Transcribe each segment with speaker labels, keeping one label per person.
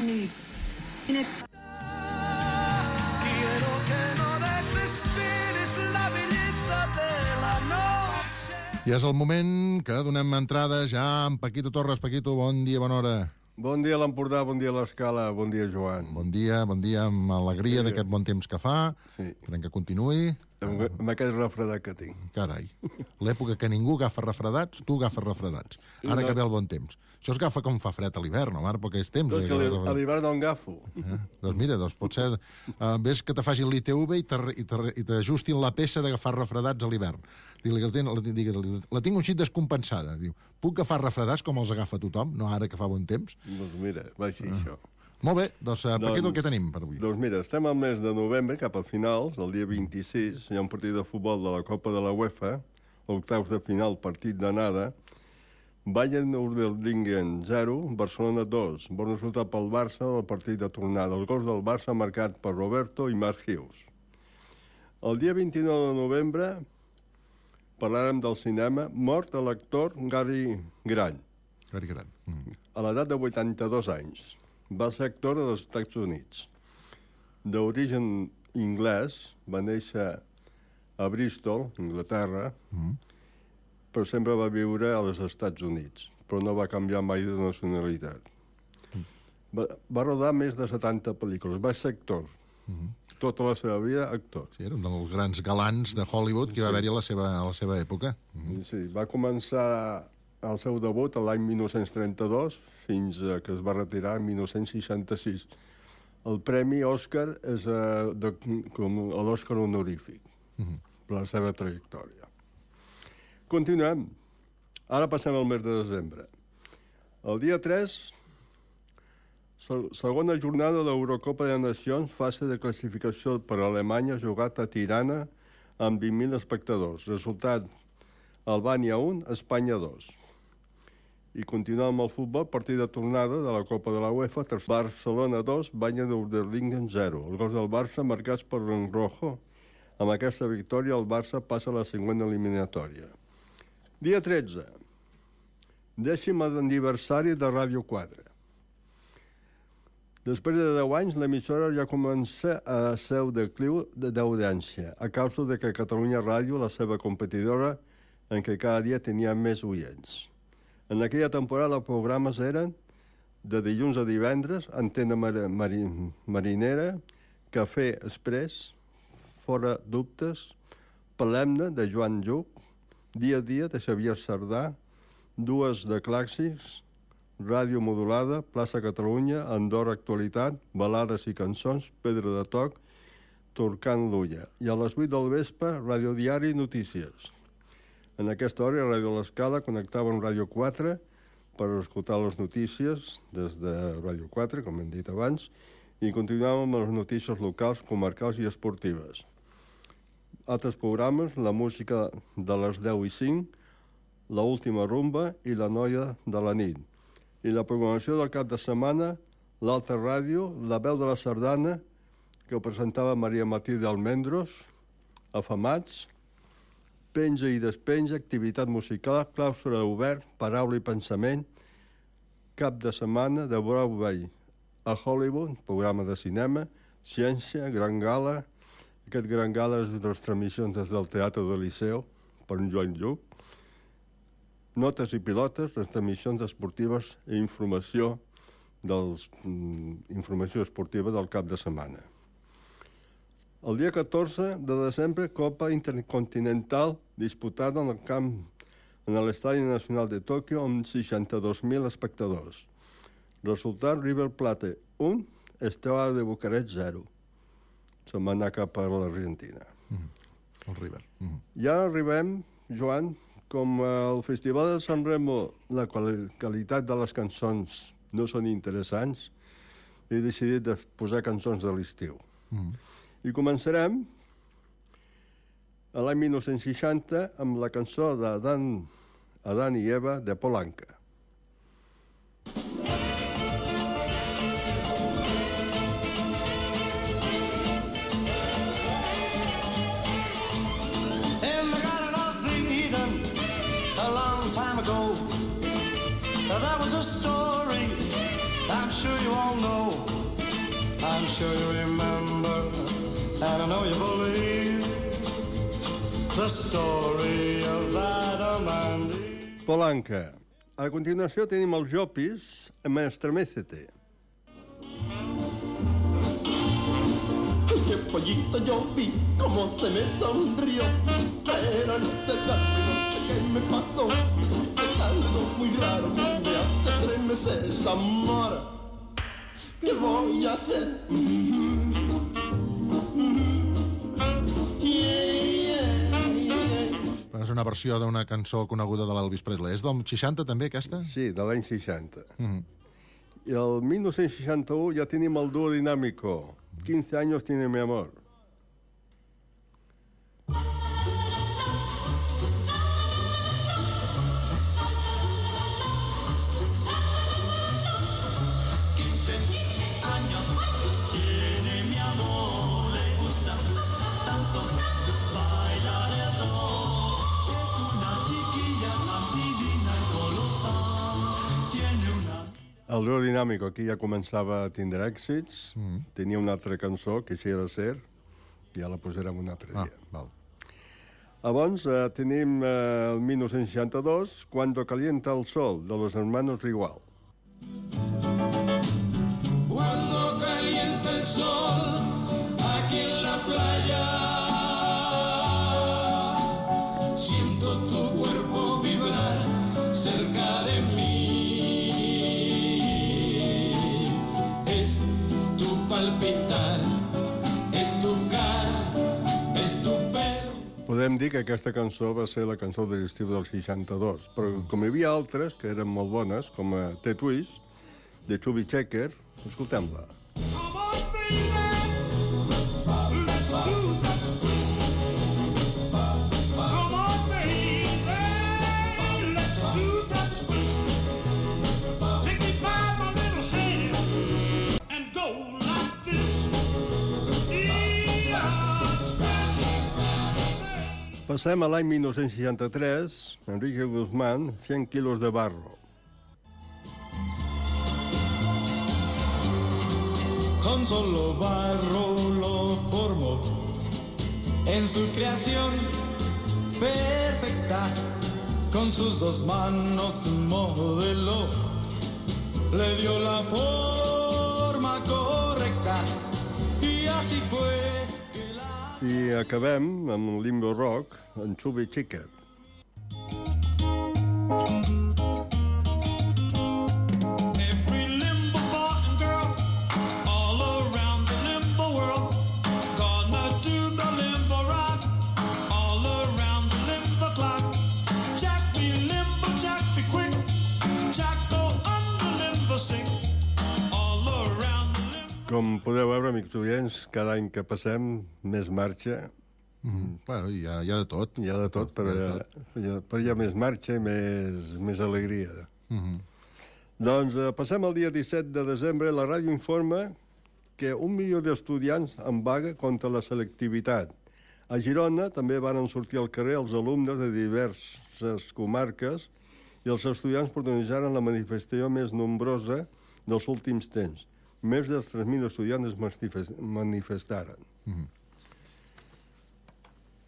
Speaker 1: need.
Speaker 2: Quiero que no desesperes la belleza de la noche.
Speaker 3: I és el moment que donem entrada ja amb Paquito Torres. Paquito, bon dia, bona hora.
Speaker 4: Bon dia a l'Empordà, bon dia a l'Escala, bon dia, Joan.
Speaker 3: Bon dia, amb alegria d'aquest bon temps que fa.
Speaker 4: Sí.
Speaker 3: Esperem que continuï.
Speaker 4: Amb aquest refredat que tinc.
Speaker 3: Carai, l'època que ningú agafa refredats, tu agafes refredats. Ara que ve el bon temps. Això es agafa com fa fred a l'hivern, no? Ara perquè és temps.
Speaker 4: Doncs que a l'hivern no agafo.
Speaker 3: Doncs mira, pot ser... ves que te facin l'ITV i t'ajustin la peça d'agafar refredats a l'hivern. La tinc un xic descompensada. Diu, puc agafar refredats com els agafa tothom, no ara que fa bon temps?
Speaker 4: Doncs mira, va així això.
Speaker 3: Molt bé, doncs Paquito, què tenim per avui?
Speaker 4: Doncs mira, estem al mes de novembre, cap al final, el dia 26, hi ha un partit de futbol de la Copa de la UEFA, octaus de final, partit d'anada, Bayern Urdeldingen 0, Barcelona 2, bon resultat pel Barça, el partit de tornada. El gol del Barça marcat per Roberto i Marc Hughes. El dia 29 de novembre parlarem del cinema, mort a l'actor Gary Grant.
Speaker 3: Gary Grant.
Speaker 4: A l'edat de 82 anys. Va ser actor dels Estats Units. D'origen anglès, va néixer a Bristol, Anglaterra, però sempre va viure als Estats Units, però no va canviar mai de nacionalitat. Va rodar més de 70 pel·lícules, va ser actor. Tota la seva vida, actor.
Speaker 3: Sí, era un dels grans galants de Hollywood que va haver-hi a la seva època.
Speaker 4: Sí, va començar el seu debut l'any 1932 fins que es va retirar en 1966. El premi Òscar és com l'Òscar honorífic per la seva trajectòria. Continuem. Ara passem al mes de desembre. El dia 3, segona jornada de l'Eurocopa de Nacions, fase de classificació per a Alemanya, jugat a Tirana amb 20.000 espectadors. Resultat, Albània 1, Espanya 2. I continuem amb el futbol, partit de tornada de la Copa de la UEFA, Barcelona 2, Bayern Urdeldingen 0. Els gols del Barça marcats per Rojo. Amb aquesta victòria, el Barça passa a la següent eliminatòria. Dia 13. 10è aniversari de Ràdio 4. Després de 10 anys, l'emissora ja comença a ser un decliu d'audiència, a causa de que Catalunya Ràdio, la seva competidora, en què cada dia tenia més oients. En aquella temporada els programes eren de dilluns a divendres, Antena Marinera, Cafè Express, Fora Dubtes, Palemne, de Joan Lluc, Dia a dia, de Xavier Sardà, dues de clàssics, Ràdio Modulada, Plaça Catalunya, Andorra Actualitat, Balades i cançons, Pedra de Toc, Torcant l'Ulla. I a les 8 del vespre, Ràdio Diari Notícies. En aquesta hora, a Ràdio L'Escala connectava amb Ràdio 4 per escoltar les notícies des de Ràdio 4, com hem dit abans, i continuàvem amb les notícies locals, comarcals i esportives. Altres programes, la música de les 10 i 5, la última rumba i la noia de la nit. I la programació del cap de setmana, l'Alta Ràdio, la veu de la sardana, que presentava Maria Martí d'Almendros, Afamats, penja i despenja, activitat musical, claustre obert, paraula i pensament, cap de setmana de Broadway a Hollywood, programa de cinema, ciència, gran gala. Aquest gran gala és de les transmissions des del Teatre del Liceu, per en Joan Lluc. Notes i pilotes, les transmissions esportives i informació esportiva del cap de setmana. El dia 14 de desembre, Copa Intercontinental disputada en l'Estadi Nacional de Tòquio amb 62.000 espectadors. Resultat, River Plate 1, Steaua de Bucarest 0. Se'n va anar cap a l'Argentina.
Speaker 3: El River.
Speaker 4: Ja arribem, Joan, com al Festival de San Remo la qualitat de les cançons no són interessants, he decidit de posar cançons de l'estiu. I començarem a l'any 1960 amb la cançó d'Adán i Eva de Polanca.
Speaker 2: In the Garden of Eden, a long time ago, there was a story I'm sure you all know, I'm sure you remember, and I know you believe the story of Adam and Eve.
Speaker 4: Polanca. A continuació tenim els Jopis amb Estremecete.
Speaker 1: Qué pollito yo vi, cómo se me sonrió, pero al acercarme no sé qué me pasó. Es algo muy raro que me hace estremecer esa mora. ¿Qué voy a hacer?
Speaker 3: Bueno, és una versió d'una cançó coneguda de l'Elvis Presley. És del 60, també, aquesta?
Speaker 4: Sí, de l'any 60. I el 1961 ja tenim el duo dinàmico. 15 años tiene mi amor. El duo dinàmico aquí ja començava a tindre èxits, tenia una altra cançó, que Quisiera Ser, que ja la posarem un altre dia.
Speaker 3: Val.
Speaker 4: Llavors tenim el 1962, Cuando calienta el sol, de los hermanos Rigual.
Speaker 1: Cuando calienta el sol aquí en la playa, siento tu cuerpo vibrar cerca de mí. Es tu palpitar, es tu cara, es tu pelo.
Speaker 4: Podem dir que aquesta cançó va ser la cançó de l'estiu del 62, però com hi havia altres que eren molt bones, com T-Twist, de Chubby Checker, escoltem-la.
Speaker 2: Come on, baby, let's do that twist. Come on, baby, let's do that twist. Take me by my little hand and go like this.
Speaker 4: Passem a l'any 1963, Enrique Guzmán, 100 quilos de barro.
Speaker 1: Con solo barro lo formó en su creación perfecta, con sus dos manos modeló, le dio la forma correcta y así fue que la...
Speaker 4: I acabem amb Limbo Rock, en Chubby Checker.
Speaker 2: Every limbo boy and girl all around the limbo world gonna do the limbo rock all around the limbo clock. Jack be limbo, Jack be quick, Jack go under limbo sick all around the limbo.
Speaker 4: Com podeu veure, amics oients, cada any que passem, més marxa.
Speaker 3: Bueno, hi ha de tot.
Speaker 4: Hi ha de tot, però hi ha més marxa i més alegria. Doncs passem al dia 17 de desembre. La ràdio informa que 1 milió d'estudiants en vaga contra la selectivitat. A Girona també van sortir al carrer els alumnes de diverses comarques i els estudiants protagonitzaren la manifestació més nombrosa dels últims temps. Més de 3.000 estudiants es manifestaren.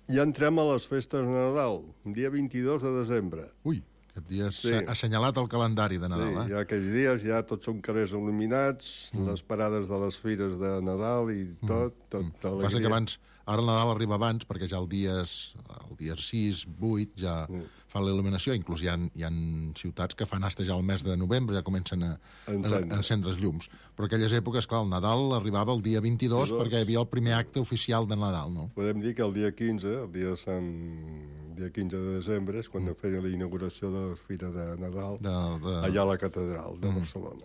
Speaker 4: Ja entrem a les festes de Nadal, dia 22 de desembre.
Speaker 3: Ui, aquest dia és
Speaker 4: Sí.
Speaker 3: assenyalat al calendari de Nadal,
Speaker 4: Sí, ja aquells dies ja tots són carrers il·luminats, les parades de les fires de Nadal i tot alegria.
Speaker 3: Passa que abans, ara el Nadal arriba abans, perquè ja el dia 6, 8, ja fa la il·luminació. Inclús hi ha ciutats que fan hasta ja el mes de novembre, ja comencen a encendre els llums. Però aquelles èpoques, clar, el Nadal arribava el dia 22 perquè hi havia el primer acte oficial de Nadal, no?
Speaker 4: Podem dir que el dia 15, el dia de 15 de desembre, és quan feia la inauguració de la Fira de Nadal, allà a la catedral de Barcelona.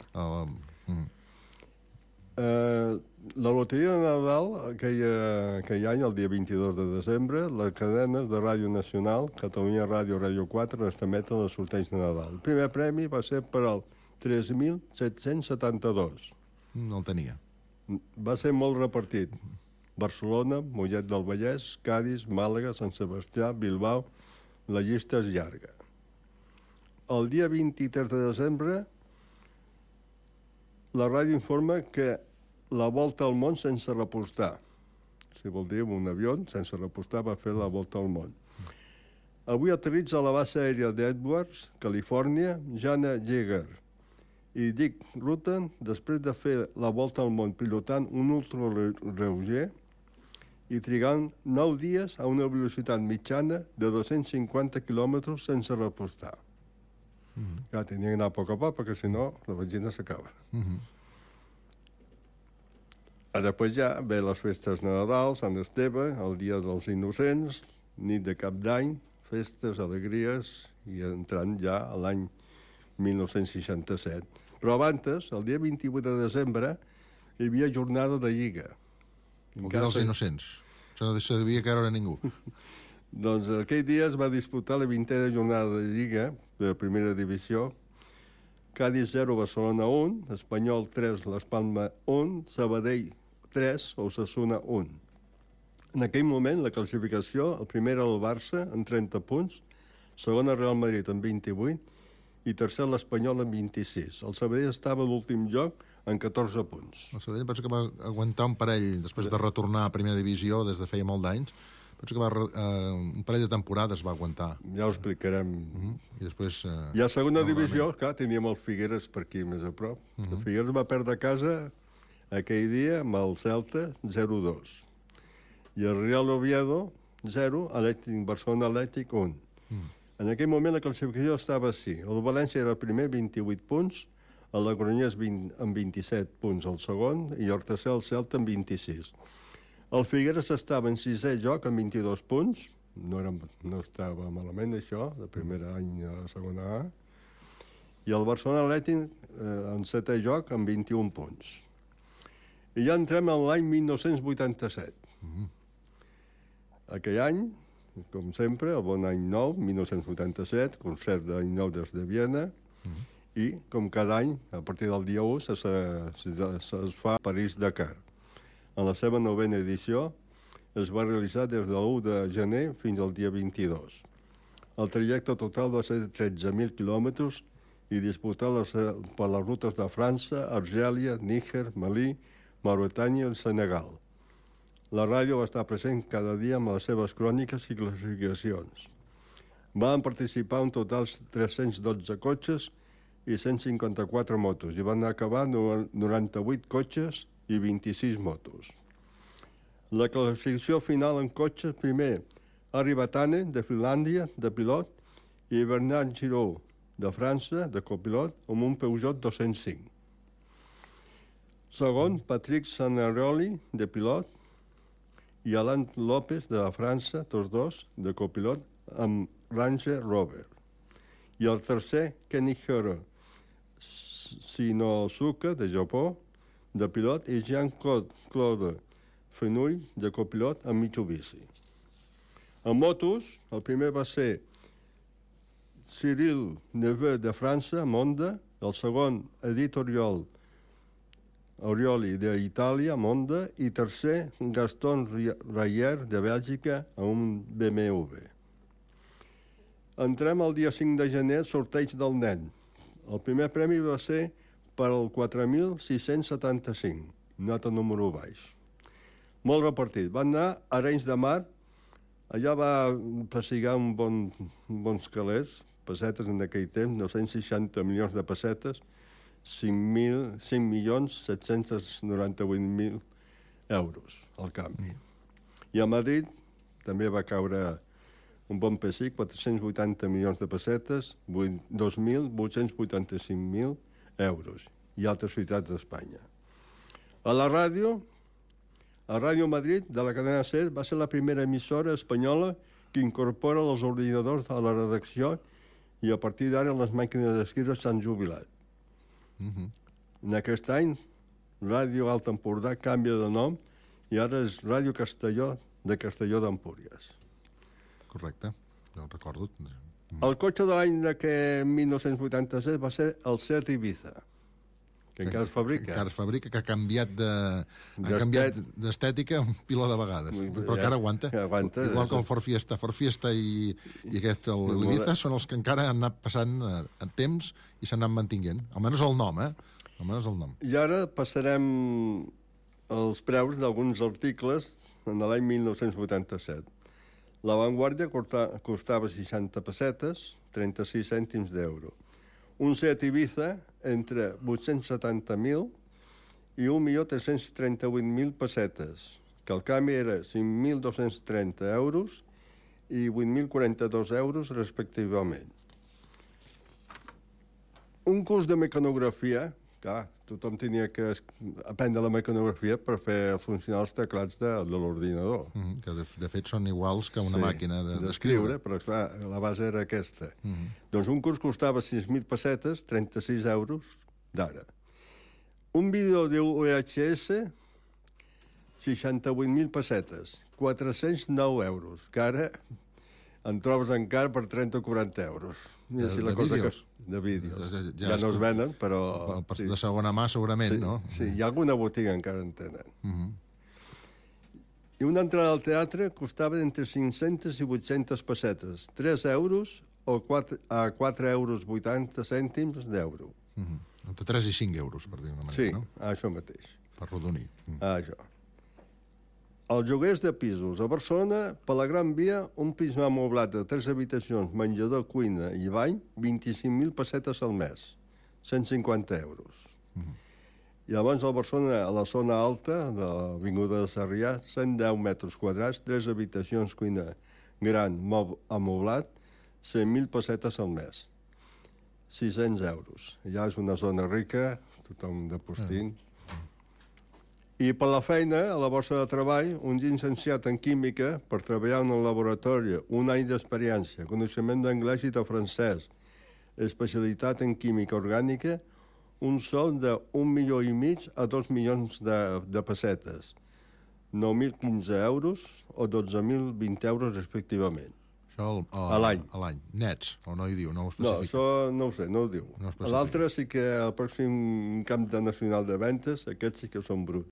Speaker 4: La loteria de Nadal, aquell any, el dia 22 de desembre, les cadenes de Ràdio Nacional, Catalunya Ràdio, Ràdio 4, estameten el sorteig de Nadal. El primer premi va ser per al 3.772.
Speaker 3: No el tenia.
Speaker 4: Va ser molt repartit. Barcelona, Mollet del Vallès, Cadis, Màlaga, Sant Sebastià, Bilbao... La llista és llarga. El dia 23 de desembre la ràdio informa que la volta al món sense repostar. Si vol dir, un avió sense repostar va fer la volta al món. Avui aterritza a la base aèria d'Edwards, Califòrnia, Jana Yeager i Dick Rutten, després de fer la volta al món pilotant un ultrareuger i trigant 9 dies a una velocitat mitjana de 250 quilòmetres sense repostar. Clar, tenia d'anar a poc a poc, perquè si no, la benzina s'acaba. Després ja ve les festes Nadal, Sant Esteve, el Dia dels Innocents, nit de Cap d'Any, festes, alegries, i entrant ja a l'any 1967. Però abans, el dia 28 de desembre, hi havia jornada de Lliga.
Speaker 3: El Dia dels Innocents. Això no se devia caure a ningú.
Speaker 4: Doncs aquell dia es va disputar la 20a jornada de Lliga de la primera divisió. Cádiz 0, Barcelona 1, Espanyol 3, Las Palmas 1, Sabadell 3, Osasuna 1. En aquell moment, la classificació, el primer era el Barça, amb 30 punts, segon el Real Madrid, amb 28, i tercer l'Espanyol, amb 26. El Sabadell estava a l'últim lloc, amb 14 punts.
Speaker 3: El Sabadell penso que va aguantar un parell, després de retornar a primera divisió des de feia molt d'anys, penso que un parell de temporades va aguantar.
Speaker 4: Ja ho explicarem.
Speaker 3: I després...
Speaker 4: I a segona divisió, clar, teníem el Figueres per aquí més a prop. El Figueres va perdre a casa aquell dia amb el Celta 0-2. I el Real Oviedo 0, Barcelona Atlètic 1. En aquell moment la classificació estava així. El València era el primer, 28 punts, el Logroñés amb 27 punts el segon, i el tercer el Celta amb 26. El Figueres estava en sisè lloc amb 22 punts, no estava malament això, de primer any a la segona A, i el Barcelona Atlètic en setè lloc amb 21 punts. I ja entrem en l'any 1987. Aquell any, com sempre, el bon any nou, 1987, concert d'any nou des de Viena, i, com cada any, a partir del dia 1, es fa París-Dakar. En la seva 9a edició es va realitzar des de l'1 de gener fins al dia 22. El trajecte total va ser de 13.000 quilòmetres i disputat per les rutes de França, Argèlia, Níger, Malí, Mauritània i Senegal. La ràdio va estar present cada dia amb les seves cròniques i classificacions. Van participar un total 312 cotxes i 154 motos, i van acabar 98 cotxes i 26 motos. La classificació final en cotxes, primer, Harry Batane, de Finlàndia, de pilot, i Bernard Giraud, de França, de copilot, amb un Peugeot 205. Segon, Patrick Sanaroli, de pilot, i Alain López, de França, tots dos, de copilot, amb Ranger Rover. I el tercer, Kenihiro Shinosuke, de Japó, de pilot, i Jean-Claude Fenouil, de copilot, amb Mitsubishi. En motos, el primer va ser Cyril Neveu, de França, amb Honda, el segon, Edith Orioli, d'Itàlia, amb Honda, i tercer, Gaston Rayer, de Bèlgica, amb un BMW. Entrem el dia 5 de gener, sorteig del nen. El primer premi va ser per al 4.675, nota número baix. Molt repartit. Van anar a Arenys de Mar, allà va pessigar bons calés, pessetes en aquell temps, 960 milions de pessetes, 5.798.000 euros al canvi. I a Madrid també va caure un bon pessic, 480 milions de pessetes, 2.885.000 euros, i altres ciutats d'Espanya. A la ràdio, a Ràdio Madrid, de la cadena SER, va ser la primera emissora espanyola que incorpora els ordinadors a la redacció, i a partir d'ara les màquines d'escriure s'han jubilat. En aquest any, Ràdio Alt Empordà canvia de nom i ara és Ràdio Castelló de Castelló d'Empúries.
Speaker 3: Correcte, ja ho recordo.
Speaker 4: El cotxe de l'any de 1987 va ser el Seat Ibiza, que encara es fabrica.
Speaker 3: Encara es fabrica, que ha canviat d'estètica un piló de vegades, però encara aguanta. Igual que el Ford Fiesta. Ford Fiesta i aquest, l'Ibiza, són els que encara han anat passant en temps i s'han anat mantinguent. Almenys el nom, almenys el nom.
Speaker 4: I ara passarem els preus d'alguns articles en l'any 1987. La Vanguardia costava 60 pessetes, 36 cèntims d'euro. Un Seat Ibiza entre 870.000 i 1.338.000 pessetes, que el canvi era 5.230 euros i 8.042 euros respectivament. Un curs de mecanografia, clar, tothom tenia que aprendre la mecanografia per fer funcionar els teclats de l'ordinador.
Speaker 3: Que de fet són iguals que una màquina
Speaker 4: d'escriure, però clar, la base era aquesta. Doncs un curs costava 6.000 pessetes, 36 euros d'ara. Un vídeo de VHS, 68.000 pessetes, 409 euros, que ara en trobes encara per 30 o 40 euros.
Speaker 3: De vídeos?
Speaker 4: De vídeos. Ja no es venen, però...
Speaker 3: De segona mà, segurament, no?
Speaker 4: Sí, hi ha alguna botiga encara en tenen. I una entrada al teatre costava entre 500 i 800 pessetes, 3 euros o a 4 euros 80 cèntims d'euro.
Speaker 3: Entre 3 i 5 euros, per dir-ho d'una manera, no?
Speaker 4: Sí, això mateix.
Speaker 3: Per rodonir.
Speaker 4: Això. Els lloguers de pisos. A Barcelona, per la Gran Via, un pis amoblat de 3 habitacions, menjador, cuina i bany, 25.000 pessetes al mes, 150 euros. I llavors a Barcelona, a la zona alta de l'Avinguda de Sarrià, 110 metres quadrats, 3 habitacions, cuina gran, amoblat, 100.000 pessetes al mes, 600 euros. Ja és una zona rica, tothom de postint. I per la feina, a la borsa de treball, un llicenciat en química per treballar en un laboratori, un any d'experiència, coneixement d'anglès i de francès, especialitat en química orgànica, un sou de 1,5 milions a 2 milions de pessetes, 9.015 euros o 12.020 euros respectivament.
Speaker 3: Això
Speaker 4: a l'any.
Speaker 3: A l'any. Nets, o no hi diu, no ho
Speaker 4: No,
Speaker 3: especifica.
Speaker 4: això no ho sé, no ho diu.
Speaker 3: No ho especifica.
Speaker 4: L'altre sí que al pròxim camp nacional de ventes, aquests sí que són bruts.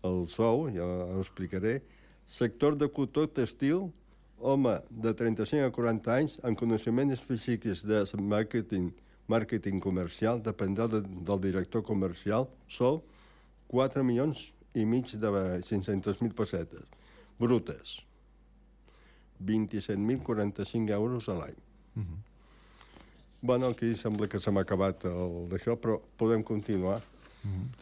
Speaker 4: El sou, ja ho explicaré, sector de cotó textil, home de 35 a 40 anys, amb coneixements específics de màrqueting comercial, dependrà del director comercial, sou 4 milions i mig de 500.000 pessetes, brutes. 27.045 euros a l'any. Bueno, aquí sembla que se m'ha acabat d'això, però podem continuar.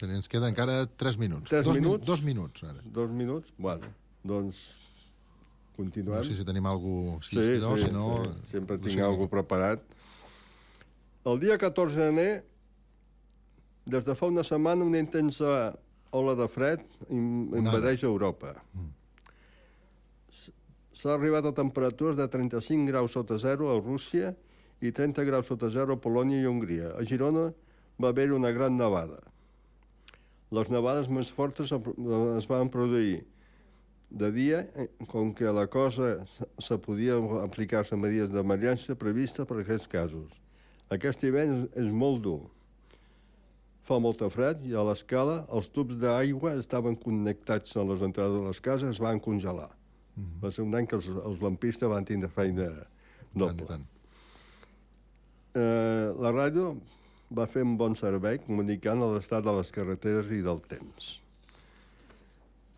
Speaker 3: Ens queda encara 3 minuts.
Speaker 4: 3 minuts?
Speaker 3: 2 minuts, ara.
Speaker 4: 2 minuts? Bueno, doncs continuem.
Speaker 3: No sé si tenim alguna cosa...
Speaker 4: Sí,
Speaker 3: si no...
Speaker 4: Sempre tinc alguna cosa preparat. El dia 14 de gener, des de fa una setmana, una intensa ola de fred invadeix Europa. S'ha arribat a temperatures de 35 graus sota zero a Rússia i 30 graus sota zero a Polònia i Hongria. A Girona va haver una gran nevada. Les nevades més fortes es van produir de dia, com que la cosa se podia aplicar-se medides d'emergència previstes per a aquests casos. Aquest hivern és molt dur. Fa molta fred i a l'escala els tubs d'aigua estaven connectats a les entrades de les cases, es van congelar. Va ser un any que els lampistes van tindre feina doble. La ràdio va fer un bon servei comunicant l'estat de les carreteres i del temps.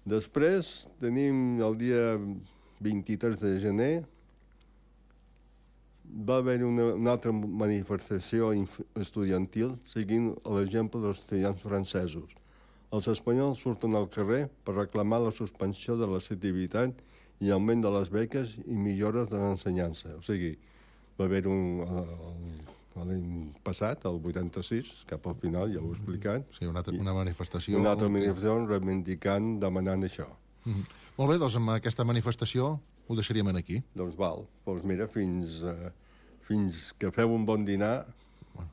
Speaker 4: Després tenim el dia 23 de gener, va haver una altra manifestació estudiantil seguint l'exemple dels estudiants francesos. Els espanyols surten al carrer per reclamar la suspensió de la selectivitat i augment de les beques i millores de l'ensenyança. O sigui, va haver l'any passat, el 86, cap al final, ja ho he explicat.
Speaker 3: Sí, una manifestació...
Speaker 4: Una altra manifestació reivindicant, demanant això.
Speaker 3: Molt bé, doncs amb aquesta manifestació ho deixaríem aquí.
Speaker 4: Doncs val. Doncs mira, fins que feu un bon dinar...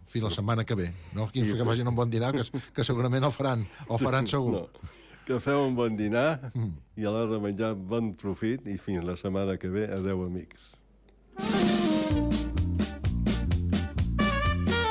Speaker 3: Fins la setmana que ve, no? Que facin un bon dinar, que segurament el faran segur.
Speaker 4: No. Que feu un bon dinar i a l'hora de menjar bon profit i fins la setmana que ve. Adéu, amics.